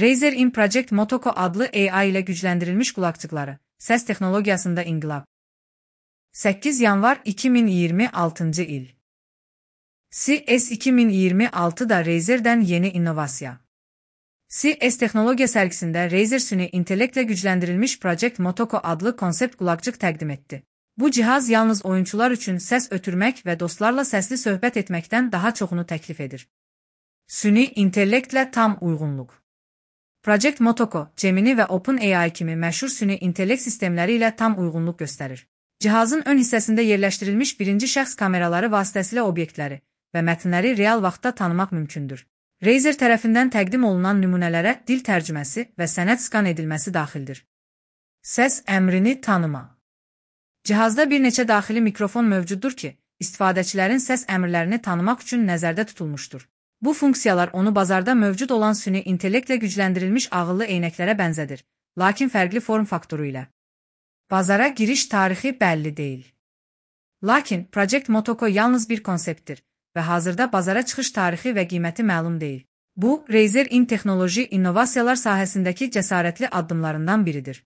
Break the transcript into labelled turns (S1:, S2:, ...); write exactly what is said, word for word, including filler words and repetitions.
S1: Razer In Project Motoko adlı A I ile gücləndirilmiş qulaqçıqları, səs texnologiyasında inqilab. səkkiz yanvar iki min iyirmi altıncı il. C S iki min iyirmi altı da Razer'dən yeni innovasiya. C S texnologiya sərgisində Razer süni intellektlə gücləndirilmiş Project Motoko adlı konsept qulaqçıq təqdim etdi. Bu cihaz yalnız oyunçular üçün səs ötürmək və dostlarla səsli söhbət etməkdən daha çoxunu təklif edir. Süni intellektlə tam uyğunluq. Project Motoko, Gemini və OpenAI kimi məşhur süni intellekt sistemləri ilə tam uyğunluq göstərir. Cihazın ön hissəsində yerləşdirilmiş birinci şəxs kameraları vasitəsilə obyektləri və mətnləri real vaxtda tanımaq mümkündür. Razer tərəfindən təqdim olunan nümunələrə dil tərcüməsi və sənəd skan edilməsi daxildir. Səs əmrini tanıma. Cihazda bir neçə daxili mikrofon mövcuddur ki, istifadəçilərin səs əmrlərini tanımaq üçün nəzərdə tutulmuşdur. Bu funksiyalar onu bazarda mövcud olan süni intellektlə gücləndirilmiş ağıllı eynəklərə bənzədir, lakin fərqli form faktoru ilə. Bazara giriş tarixi bəlli deyil. Lakin Project Motoko yalnız bir konseptdir və hazırda bazara çıxış tarixi və qiyməti məlum deyil. Bu, Razer In texnoloji innovasiyalar sahəsindəki cəsarətli addımlarından biridir.